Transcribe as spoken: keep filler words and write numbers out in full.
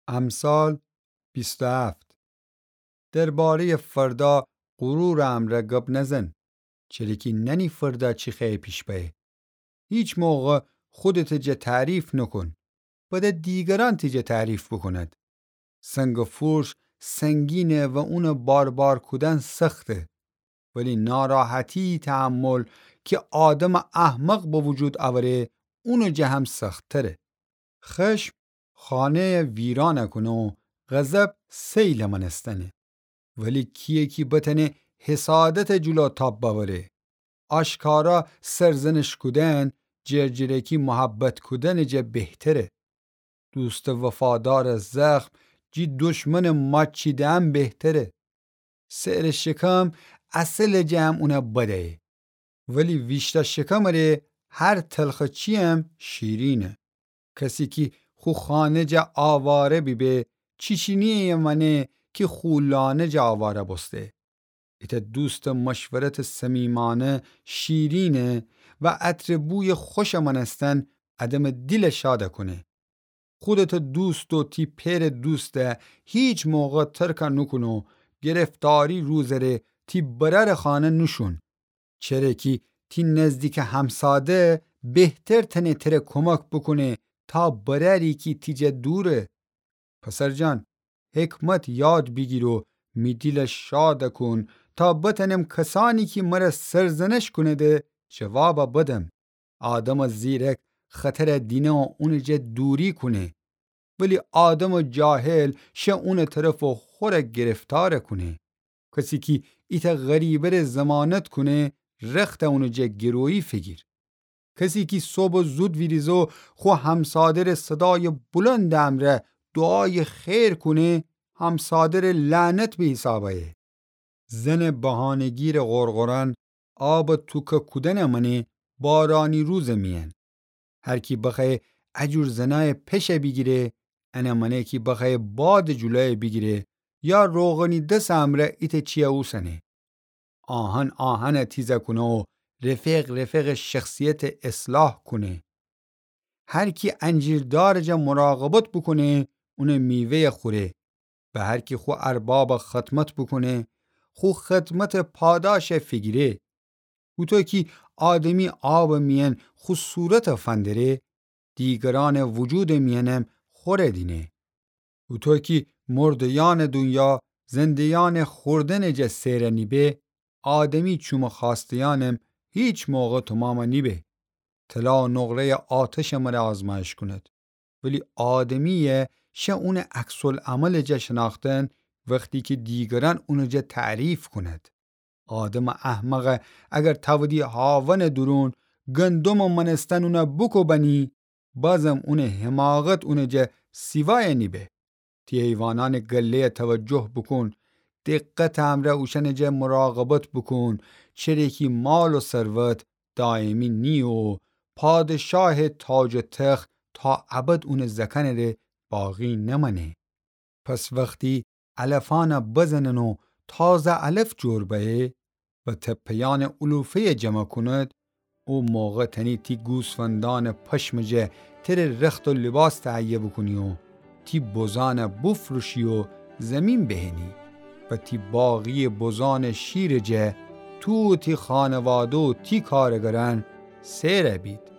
امثال بیست و هفت. درباره‌یٚ فردا غرورٚ امرأ گب نزن، چره کی نأنی فردا چی خوأیه پیش بأیه. هیچ موقع خودتٚ جا تعریف نوکون، بده دیگرأن تی جا تعریف بوکوند. سنگٚ فورش سنگینه و اونٚ باربار کودن سخته، ولی ناراحتی‌یی تحمل کی آدمٚ احمق به وجود اوره، اونٚ جا هم سخت‌تره. خشم خانه‌یٚ ویران کونه و غضب سیلٚ مأنستنه. ولی کییه کی بتأنه حسادتٚ جلو تاب بأوره؟ آشکارا سرزنش کودن جرجرکی محبت کودنٚ جا بهتره. دوستٚ وفادارٚ زخم جی دشمنٚ ماچیدن بهتره. سئرٚ شکم عسلٚ جا هم اونه بده‌یه، ولی ویشتأ شکمٚ ره هر تلخٚ چی‌یم شیرینه. کسی کی خو خانه جا آواره بیبه، چیچینی‌یه مأنه کی خو لانه جا آواره بوسته. ایتأ دوستٚ مشورتٚ صمیمانه شیرینه و عطرٚ بویٚ خوشٚ مأنستن آدمٚ دیل شاد کونه. خودتٚ دوست و تی پئرٚ دوست هیچ موقع ترک نوکون و گرفتاری روزٚ ره تی برأرٚ خانه نوشون. چره کی تی نزدیکٚ همساده بهتر تأنه تره کمک بوکونه تا برأری کی تی جا دوره. پسرجان، حکمت یاد بیگیر و می دیل شاد کون تا بتأنم کسأنی کی مر سرزنش کونده جواب بدم. آدمٚ زیرک خطر دینه و اونٚ جا دوری کونه، ولی آدمٚ جاهل شه اونٚ طرف و خور گرفتار کونه. کسی کی ایتأ غریبه ره ضمانت کونه، رخت اونٚ جا گرویی فیگیر. کسی کی صبح زود ویریزه و خو همساده ره صدایٚ بلندٚ امرأ دعایٚ خیر کونه، همساده ره لعنت به حساب ایه. زنٚ بهانه‌گیرٚ غرغرأن آبٚ توکه کودنٚ مأنه بارانی روزٚ میأن. هر کی بخوأیه اجور زنأیٚ پشه بیگیره، انٚ مأنه کی بخوأیه بادٚ جلویه بیگیره یا روغنی دسٚ امرأ ایتأ چیه اوسنه. آهن آهنٚ تیزه کونه و رفیق رفیقٚ شخصیتٚ اصلاح کونه. هر کی انجیردارٚ جا مراقبت بوکونه، اونٚ میوه‌یه خوره. و هر کی خو ارباب خدمت بوکونه، خو خدمتٚ پاداشه فیگیره. هوطو کی آدمی آبٚ میأن خو صورته فندره، دیگرأنٚ وجودٚ میأنم خوره دینه. هوطو کی مرده‌یأنٚ دونیا زنده‌یأنٚ خوردنٚ جا سئر نیبه، آدمی چومٚ خوأسته‌یأنم هیچ موقع تومام نیبه. طلا و نقره‌یٚ آتشٚ مره آزمایش کونید، ولی آدمی‌یه شه اونٚ عکس‌العملٚ جا شنأختن وختی کی دیگرأن اونٚ جا تعریف کونید. آدمٚ احمقه اگر تأودی هاونٚ دورون گندمٚ مأنستن اونه بوکوبنی، بازم اونٚ حماقت اونٚ جا سیوایه نیبه. تی حیوانأنٚ گله‌یه توجه بوکون، دقتٚ امرأ اوشأنٚ جا مراقبت بوکون، چره کی مال و ثروت دایمی نییه و پادشاهٚ تاج و تخت تا ابد اونٚ زأکنٚ ره باقی نمأنه. پس وختی علفأنه بزنن و تازه علف جور بأیه و تپه‌یأنٚ علوفه‌یه جمع کونید، او موقع تأنی تی گوسفندأنٚ پشمٚ جا تره رخت و لباس تهیه بوکونی و تی بزأنه بوفروشی و زیمین بهنی و تی باقی‌یٚ بزأنٚ شیرٚ جا تو و تی خانواده و تی کارگرأن سئر بید.